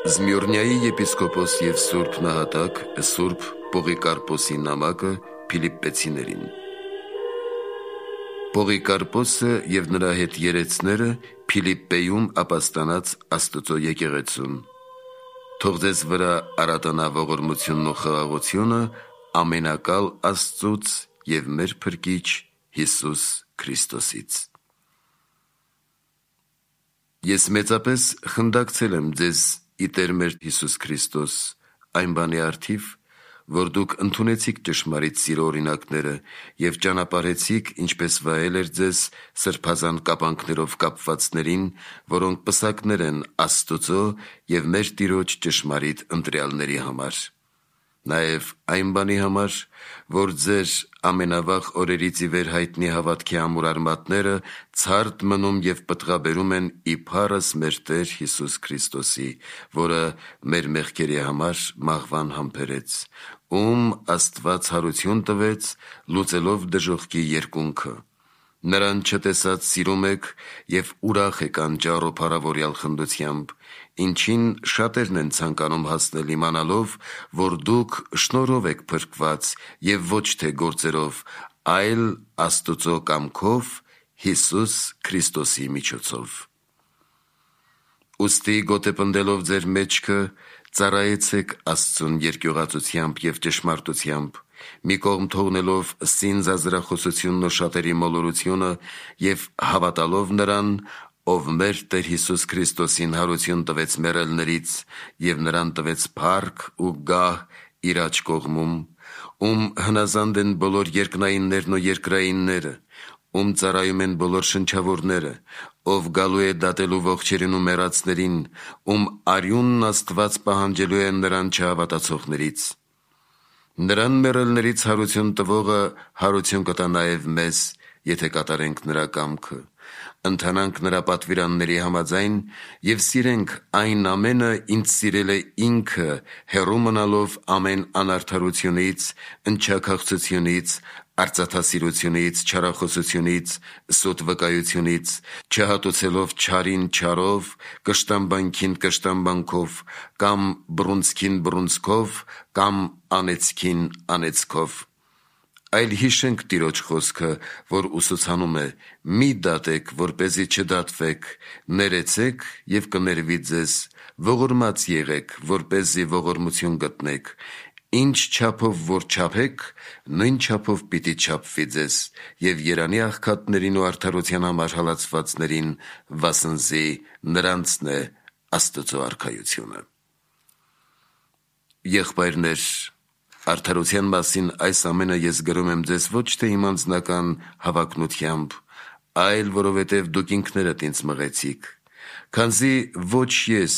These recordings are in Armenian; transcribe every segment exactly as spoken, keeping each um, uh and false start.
Զմյուրնիայի եպիսկոպոս և սուրբ նահատակ սուրբ Պողիկարպոսի նամակը Փիլիպպեցիներին։ Պողիկարպոսը և նրա հետ երեցները Փիլիպպեում ապաստանած Աստծո եկեղեցուն։ Թող ձեզ վրա արատանա ողորմությունն ու խաղաղությունը ամենակալ Աստծուց և մեր Փրկիչ Հիսուս Քրիստոսից։ Ես մեծապես խնդակցել եմ ձեզ ի Տեր մեր Հիսուս Քրիստոս այն բանի առթիվ, որ դուք ընդունեցիք ճշմարիտ սիրո օրինակները և ճանապարհեցիք, ինչպես վայել էր ձեզ սրբազան կապանքներով կապվածներին, որոնք պսակներ են Աստուծո և մեր Տիրոջ ճշմարիտ ընտրյալների համար։ Նաև այն բանի համար, որ ձեր ամենավաղ օրերից ի վեր հայտնի հավատքի ամուր արմատները ցարդ մնում և պտղաբերում են ի փառս մեր Տեր Հիսուս Քրիստոսի, որը մեր մեղքերի համար մահվան համբերեց, ում Աստված հարություն տվեց, լուծելով դժոխքի երկունքը։ Նրան չտեսած սիրում եք և ուրախ եք անճառ ու փառավորյալ խնդությամբ, ինչին շատերն են ցանկանում հասնել իմանալով, որ դուք շնորհով եք փրկված և ոչ թե գործերով, այլ Աստուծո կամքով Հիսուս Քրիստոսի միջոցով։ Ուստի գոտեպնդելով ձեր մեջքը ծառայեցեք Աստծուն երկյուղածությամբ և ճշմարտությամբ, մի կողմ թողնելով սին զազրախոսությունն ու շատերի մոլորությունը և հավատալով նրան, ով մեր Տեր Հիսուս Քրիստոսին հարություն տվեց մեռելներից և նրան տվեց փառք ու գահ իր աջ կողմում, ում հնազանդ են բոլոր երկնայիններն ու երկրայինները, ում ծառայում են բոլոր շնչավորները, ով գալու է դատելու ողջերին ու մեռածներին, ում արյունն Աստված պահանջելու է նրան չհավատացողներից։ Նրան մեռելներից հարություն տվողը հարություն կտա նաև մեզ, եթե կատարենք նրա կամքը, ընթանանք նրա պատվիրանների համաձայն և սիրենք այն ամենը, ինչ սիրել է ինքը, հեռու մնալով ամեն անարդարությունից, ընչաքաղցությունից, արծաթասիրությունից, չարախոսությունից, սուտ վկայությունից, չհատուցելով չարին չարով, կշտամբանքին կշտամբանքով, կամ բռունցքին բռունցքով, կամ անեծքին անեծքով։ Այլ հիշենք Տիրոջ խոսքը, որ ուսուցանում է. «Մի դատեք, որպեսզի չդատվեք, ներեցեք և կներվի ձեզ, ողորմած եղեք, որպեսզի ողորմություն գտնեք, ինչ չափով որ չափեք, նույն չափով պիտի չափվի ձեզ, և երանի աղքատներին ու արդարության համար հալածվածներին, վասնզի նրանցն է Աստծո արքայությունը»։ Եղբայրներ, արդարության մասին այս ամենը ես գրում եմ ձեզ ոչ թե իմ անձնական հավակնությամբ, այլ որովհետև դուք ինքներդ ինձ մղեցիք, քանզի ոչ ես,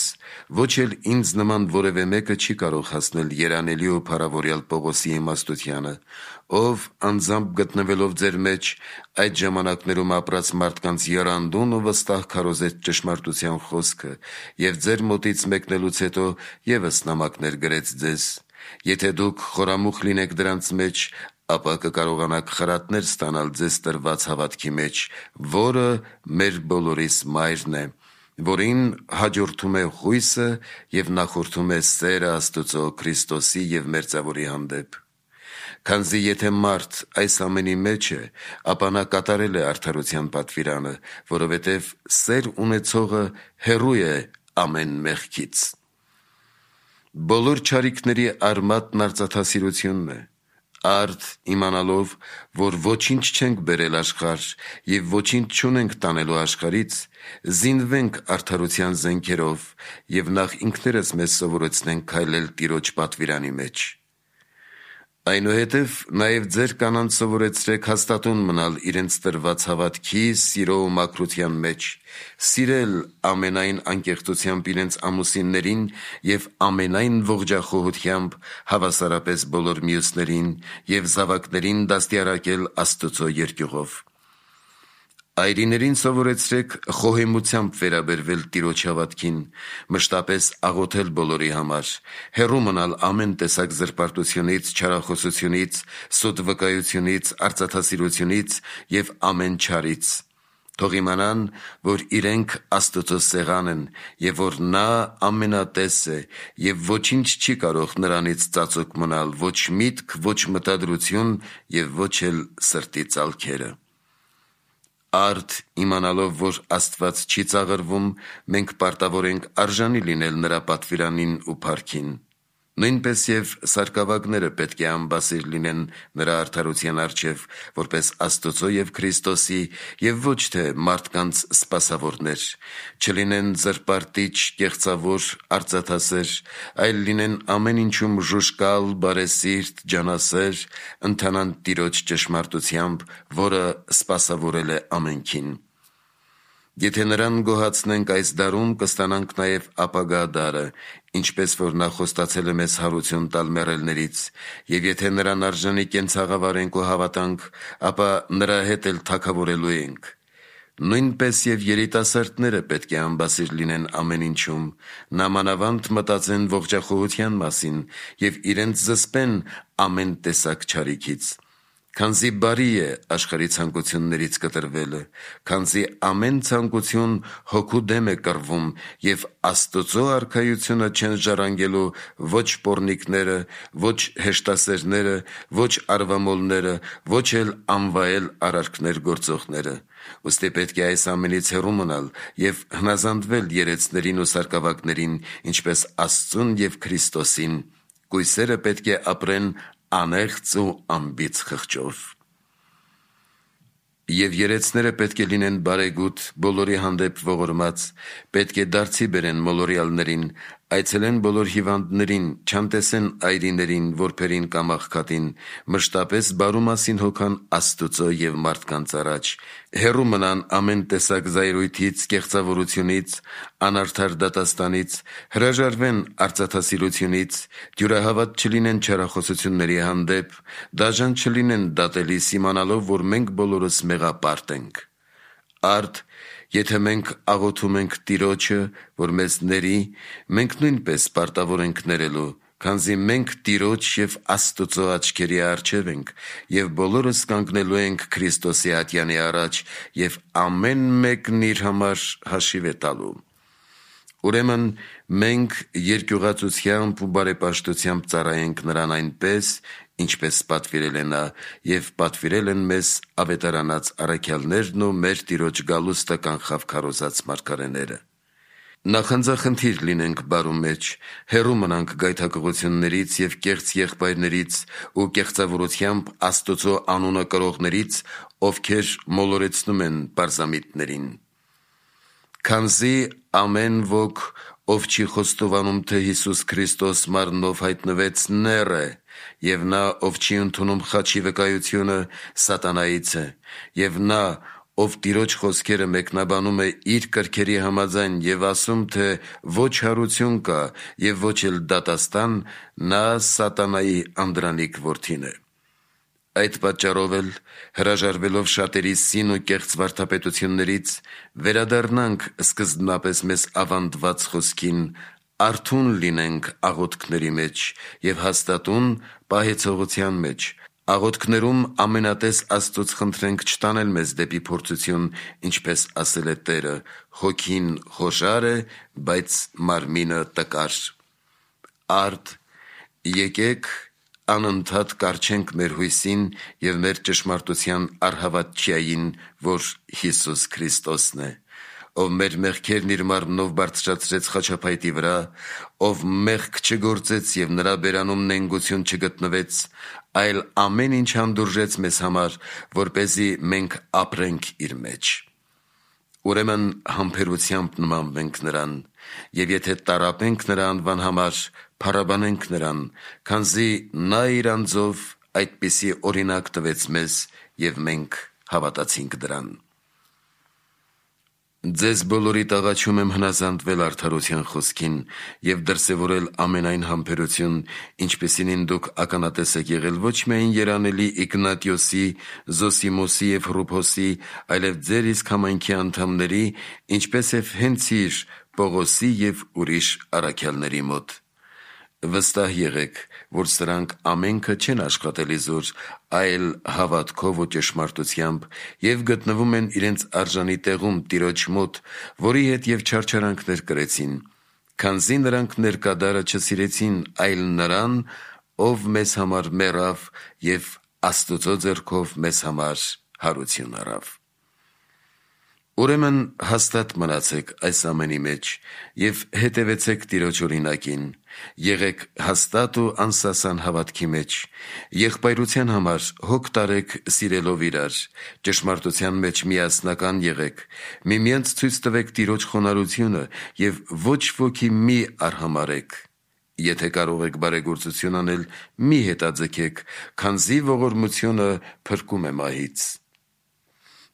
ոչ էլ ինձ նման որևէ մեկը չի կարող հասնել երանելի ու փառավորյալ Պողոսի իմաստությանը, ով անձամբ գտնվելով ձեր մեջ այդ ժամանակներում ապրած մարդկանց եռանդուն ու վստահ քարոզեց ճշմարտության խոսքը և ձեր մոտից մեկնելուց հետո ևս նամակներ գրեց ձեզ։ Եթե դուք խորամուխ լինեք դրանց մեջ, ապա կկարողանաք խրատներ ստանալ ձեզ տրված հավատքի մեջ, որը մեր բոլորիս մայրն է, որին հաջորդում է հույսը և նախորդում է սերը Աստուծո Քրիստոսի և Մերձավորի հանդեպ։ Քանզի եթե մարդ այս ամենի մեջ է, ապա նա կատարել է արդարության պատվիրանը, որովհետև սեր ունեցողը հեռու է ամեն մեղքից։ Բոլոր չարիքների արմատն արծաթասիրությունն է։ Արդ իմանալով, որ ոչինչ չենք բերել աշխարհ և ոչինչ չունենք տանելու աշխարհից, զինվենք արդարության զենքերով և նախ ինքներս մեզ սովորեցնենք քայլել Տիրոջ պատվիրանի մեջ։ Այնուհետև նաև ձեր կանանց սովորեցրեք հաստատուն մնալ իրենց տրված հավատքի, սիրո ու մաքրության մեջ, սիրել ամենայն անկեղծությամբ իրենց ամուսիններին և ամենայն ողջախոհությամբ հավասարապես բոլոր մյուսներին և զավակներին դաստիարակել Աստծո երկյուղով։ Այրիներին սովորեցրեք խոհեմությամբ վերաբերվել Տիրոջ հավատքին, մշտապես աղոթել բոլորի համար, հեռու մնալ ամեն տեսակ զրպարտությունից, չարախոսությունից, սուտ վկայությունից, արծաթասիրությունից և ամեն չարից։ Թող իմանան, որ իրենք Աստծո սեղան են, և որ նա ամենատես է, և ոչինչ չի կարող նրանից ծածուկ մնալ, ոչ միտք, ոչ մտադրություն և ոչ էլ սրտի ծալքերը։ Արդ իմանալով, որ Աստված չի ծաղրվում, մենք պարտավոր ենք արժանի լինել նրա պատվիրանին ու փառքին։ Նույնպես և սարկավագները պետք է անբասիր լինեն նրա արդարության առջև, որպես Աստծո և Քրիստոսի, և ոչ թե մարդկանց սպասավորներ, չլինեն զրպարտիչ, կեղծավոր, արծաթասեր, այլ լինեն ամեն ինչում ժուժկալ, բարեսիրտ, ջանասեր, ընթանան Տիրոջ ճշմարտությամբ, որը սպասավորել է ամենքին։ Եթե նրան գոհացնենք այս դարում, կստանանք նաև ապագա դարը, ինչպես որ նա խոստացել է մեզ հարություն տալ մեռելներից, և եթե նրան արժանի կենցաղավարենք ու հավատանք, ապա նրա հետ էլ թագավորելու ենք։ Նույնպես և երիտասարդները պետք է անբասիր լինեն ամեն ինչում, նամանավանդ մտածեն ողջախոհության մասին և իրենց զսպեն ամեն տեսակ չարիքից, քանզի բարի է աշխարհի ցանկություններից կտրվելը, քանզի ամեն ցանկություն հոգու դեմ է կռվում, և Աստծո արքայությունը չեն ժառանգելու ոչ պոռնիկները, ոչ հեշտասերները, ոչ արվամոլները, ոչ էլ անվայել արարքներ գործողները։ Ուստի պետք է այս ամենից հեռու մնալ և հնազանդվել երեցներին ու սարկավագներին, ինչպես Աստծուն և Քրիստոսին։ Կույսերը պետք է ապրեն անեղծ ու անբիծ խղճով։ Եվ երեցները պետք է լինեն բարեգութ, բոլորի հանդեպ ողորմած, պետք է դարձի բերեն մոլորյալներին, այցելեն բոլոր հիվանդներին, չանտեսեն այրիներին, որբերին կամ աղքատին, մշտապես բարու մասին հոգան Աստծո և մարդկանց առաջ, հեռու մնան ամեն տեսակ զայրույթից, կեղծավորությունից, անարդար դատաստանից, հրաժարվեն արծաթասիրությունից, դյուրահավատ չլինեն չարախոսությունների հանդեպ, դաժան չլինեն դատելիս, իմանալով, որ մենք բոլորս մեղապարտ ենք։ Արդ եթե մենք աղոթում ենք Տիրոջը, որ մեզ ների, մենք նույնպես պարտավոր ենք ներելու, քանզի մենք Տիրոջ և Աստծո աչքերի առջև ենք, և բոլորս կանգնելու ենք Քրիստոսի ատյանի առաջ, և ամեն մեկն իր համար հաշիվ է տալու։ Ուրեմն մենք երկյուղածությամբ ու բարեպաշտությամբ ծառայենք նրան այնպես, ինչպես պատվիրել է նա, և պատվիրել են մեզ ավետարանած առաքյալներն ու մեր Տիրոջ գալուստը կանխավ քարոզած մարգարեները։ Նախանձախնդիր լինենք բարու մեջ, հեռու մնանք գայթակղություններից և կեղծ եղբայրներից ու կեղծավորությամբ Աստծո անունը կրողներից, ովքեր մոլորեցնում են պարզամիտներին։ Քանզի ամեն ոք, ով չի խոստովանում, թե Հիսուս Քրիստոս մարմնով հայտնվեց, նեռ է, և նա, ով չի ընդունում խաչի վկայությունը, սատանայից է, և նա, ով Տիրոջ խոսքերը մեկնաբանում է իր կրքերի համաձայն և ասում, թե ոչ հարություն կա և ոչ էլ դատաստան, նա սատանայի անդրանիկ որդին է։ Այդ պատճառով էլ, հրաժարվելով շատերի սին ու կեղծ վարդապետություններից, վերադառնանք սկզբնապես մեզ ավանդված խոսքին, արթուն լինենք աղոթքների մեջ և հաստատուն պահեցողության մեջ, աղոթքներում ամենատես Աստծուց խնդրենք չտանել մեզ դեպի փորձություն, ինչպես ասել է Տերը. «Հոգին խոժար է, բայց մարմինը տկար»։ Արդ եկեք անընդհատ կառչենք մեր հույսին և մեր ճշմարտության առհավատչյային, որ Հիսուս Քրիստոսն է, ով մեր մեղքերն իր մարմնով բարձրացրեց խաչափայտի վրա, ով մեղք չգործեց և նրա բերանում նենգություն չգտնվեց, այլ ամեն ինչ հանդուրժեց մեզ համար, որպեսզի մենք ապրենք իր մեջ։ Ուրեմն համբերությամբ նմանվենք նրան, և եթե տառապենք նրա անվան համար, փառաբանենք նրան, քանզի նա իր անձով այդպիսի օրինակ տվեց մեզ, և մենք հավատացինք դրան։ Ձեզ բոլորիդ աղաչում եմ հնազանդվել արդարության խոսքին և դրսևորել ամենայն համբերություն, ինչպիսինին դուք ականատես եք եղել ոչ միայն երանելի Իգնատիոսի, Զոսիմոսի և Հռուփոսի, այլև ձեր իսկ համայնքի անդամների, ինչպես և հենց իր Պողոսի և ուրիշ առաքյալների մոտ։ Վստահ եղեք, որ սրանք ամենքը չեն աշխատել իզուր, այլ հավատքով ու ճշմարտությամբ և գտնվում են իրենց արժանի տեղում Տիրոջ մոտ, որի հետ և չարչարանքներ կրեցին, քանզի նրանք ներկադարը չսիրեցին, այլ նրան, ով մեզ համար մեռավ և Աստուծո ձեռքով մեզ համար հարություն առավ։ Ուրեմն հաստատ մնացեք այս ամենի մեջ և հետևեցեք Տիրոջ օրինակին, եղեք հաստատ ու անսասան հավատքի մեջ, եղբայրության համար հոգ տարեք սիրելով իրար, ճշմարտության մեջ միասնական եղեք, միմյանց ցույց տվեք Տիրոջ խոնարհությունը և ոչ ոքի մի արհամարհեք։ Եթե կարող եք բարեգործություն անել, մի հետաձգեք, քանզի ողորմությունը փրկում է մահից։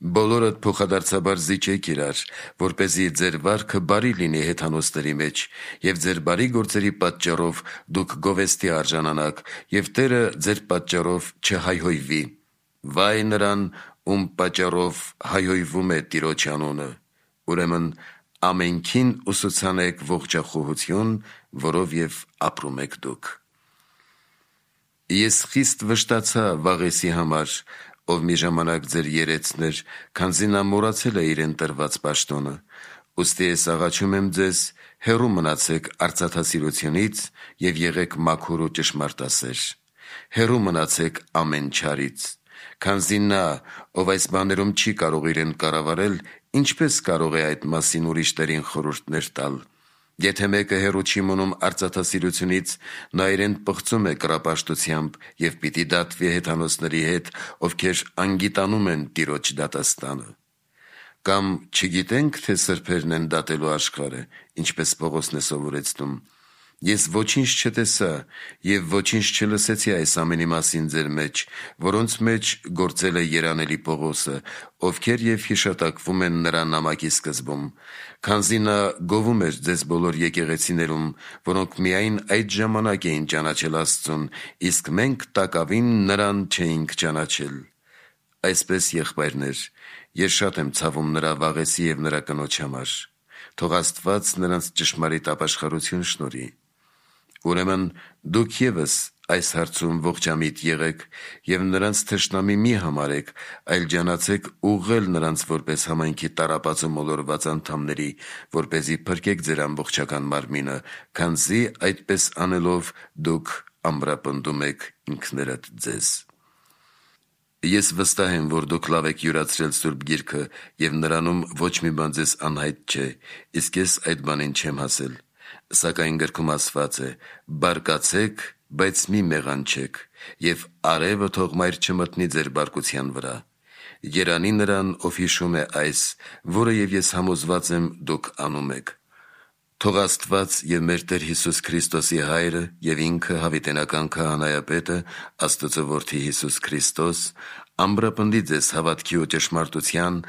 Բոլորդ փոխադարձաբար զիջեք իրար, որպեսզի ձեր վարքը բարի լինի հեթանոսների մեջ, և ձեր բարի գործերի պատճառով դուք գովեստի արժանանաք, և Տերը ձեր պատճառով չհայհոյվի։ Վայ նրան, ում պատճառով հայհոյվում է Տիրոջ անունը։ Ուրեմն ամենքին ուսուցանեք ողջախոհություն, որով և ապրում եք դուք։ Ես խիստ վշտացա Վաղեսի համար, ով մի ժամանակ ձեր երեցն էր, քանզի նա մոռացել է իրեն տրված պաշտոնը։ Ուստի ես աղաչում եմ ձեզ, հեռու մնացեք արծաթասիրությունից և եղեք մաքուր ու ճշմարտասեր։ Հեռու մնացեք ամեն չարից, քանզի նա, ով այս բաներում չի կարող իրեն կառավարել, ինչպես կարող է այդ մասին ուրիշներին խորհուրդներ տալ։ Եթե մեկը հեռու չի մնում արծաթասիրությունից, նա իրեն պղծում է կռապաշտությամբ և պիտի դատվի հեթանոսների հետ, ովքեր անգիտանում են Տիրոջ դատաստանը։ Կամ չգիտենք, թե սրբերն են դատելու աշխարհը, ինչպես Պողոսն է սովորեցնում։ Ես ոչինչ չտեսա և ոչինչ չլսեցի այս ամենի մասին ձեր մեջ, որոնց մեջ գործել է երանելի Պողոսը, ովքեր և հիշատակվում են նրա նամակի սկզբում, քանզի նա գովում էր ձեզ բոլոր եկեղեցիներում, որոնք միայն այդ ժամանակ էին ճանաչել Աստծուն, իսկ մենք տակավին նրան չէինք ճանաչել։ Այսպես, եղբայրներ, ես շատ եմ ցավում նրա Վաղեսի և նրա կնոջ համար։ Թող Աստված նրանց ճշմարիտ ապաշխարություն շնորհի։ Ուրեմն դուք ևս այս հարցում ողջամիտ եղեք և նրանց թշնամի մի համարեք, այլ ջանացեք ուղղել նրանց որպես համայնքի տառապած ու մոլորված անդամների, որպեսզի փրկեք ձեր ամբողջական մարմինը, քանզի այդպես անելով դուք ամրապնդում եք ինքներդ ձեզ։ Ես վստահ եմ, որ դուք լավ եք յուրացրել Սուրբ Գիրքը և նրանում ոչ մի բան ձեզ անհայտ չէ, իսկ ես այդ բանին չեմ հասել։ Սակայն գրքում ասված է. «Բարկացեք, բայց մի մեղանչեք, և արևը թող մայր չմտնի ձեր բարկության վրա»։ Երանի նրան, ով հիշում է այս, որը և ես համոզված եմ դուք անում եք։ Թող Աստված և մեր Տեր Հիսուս Քրիստոսի Հայրը և ինքը հավիտենական Քահանայապետը, Աստծո Որդի Հիսուս Քրիստոս, ամրապնդի ձեզ հավատքի ու ճշմարտության,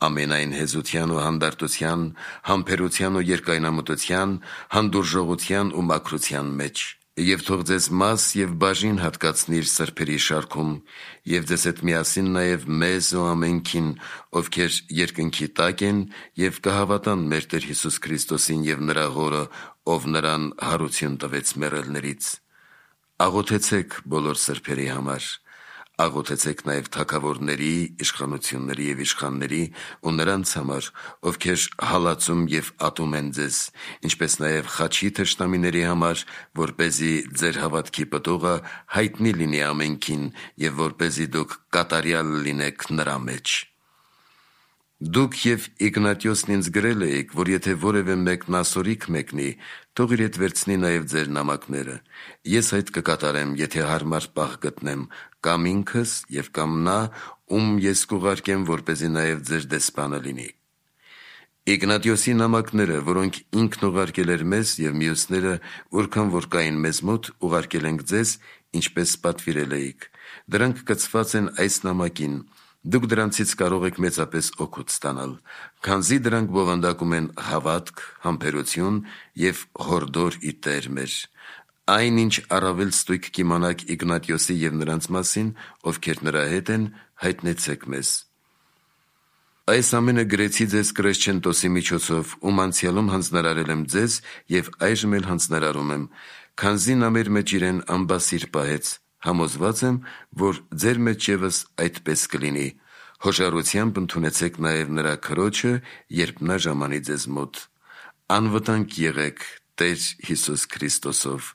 ամենայն հեզության ու հանդարտության, համբերության ու երկայնամտության, հանդուրժողության ու մաքրության մեջ։ Եվ թող ձեզ մաս և բաժին հատկացնի իր սրբերի շարքում, և ձեզ հետ միասին նաև մեզ ու ամենքին, ովքեր երկնքի տակ են և կհավատան մեր Տեր Հիսուս Քրիստոսին և նրա Հորը, ով նրան հարություն տվեց մեռելներից։ Աղոթեցեք բոլոր սրբերի համար։ Աղոթեցեք նաև թագավորների, իշխանությունների և իշխանների ու նրանց համար, ովքեր հալածում և ատում են ձեզ, ինչպես նաև խաչի թշնամիների համար, որպեսզի ձեր հավատքի պտուղը հայտնի լինի ամենքին և որպեսզի դուք կատարյալ լինեք նրա մեջ։ Դուք և Իգնատիոսն ինձ գրել էիք, որ եթե որևէ մեկն ասորիք մեկնի, թող իր հետ վերցնի նաև ձեր նամակները։ Ես այդ կկատարեմ, եթե հարմար պահ գտնեմ, կամ ինքս և կամ նա, ում ես կուղարկեմ, որպեսզի նաև ձեր դեսպանը լինի։ Իգնատիոսի նամակները, որոնք ինքն ուղարկել էր մեզ, և մյուսները, որքան որ կային մեզ մոտ, ուղարկել ենք ձեզ, ինչպես պատվիրել էիք։ Դրանք կցված են այս նամակին։ Դուք դրանցից կարող եք մեծապես օգուտ ստանալ, քանզի դրանք բովանդակում են հավատք, համբերություն և հորդոր ի Տեր մեր։ Այն, ինչ առավել ստույգ կիմանաք Իգնատիոսի և նրանց մասին, ովքեր նրա հետ են, հայտնեցեք մեզ։ Այս ամենը գրեցի ձեզ Կրեսչենտոսի միջոցով, ում անցյալում հանձնարարել եմ ձեզ և այժմ էլ հանձնարարում եմ, քանզի նա մեր մեջ իրեն ամբասիր պահեց, համոզված եմ, որ ձեր մեջ ևս այդպես կլինի։ Հոշարությամբ ընդունեցեք նաև նրա քրոջը, երբ նա ժամանի ձեզ մոտ։ Անվտանգ եղեք Տեր Հիսուս Քրիստոսով,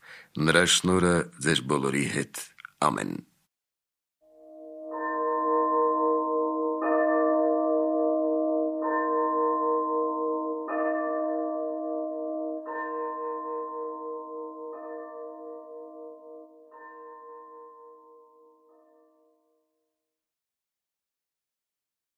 նրա շնորհը ձեր բոլորի հետ։ Ամեն։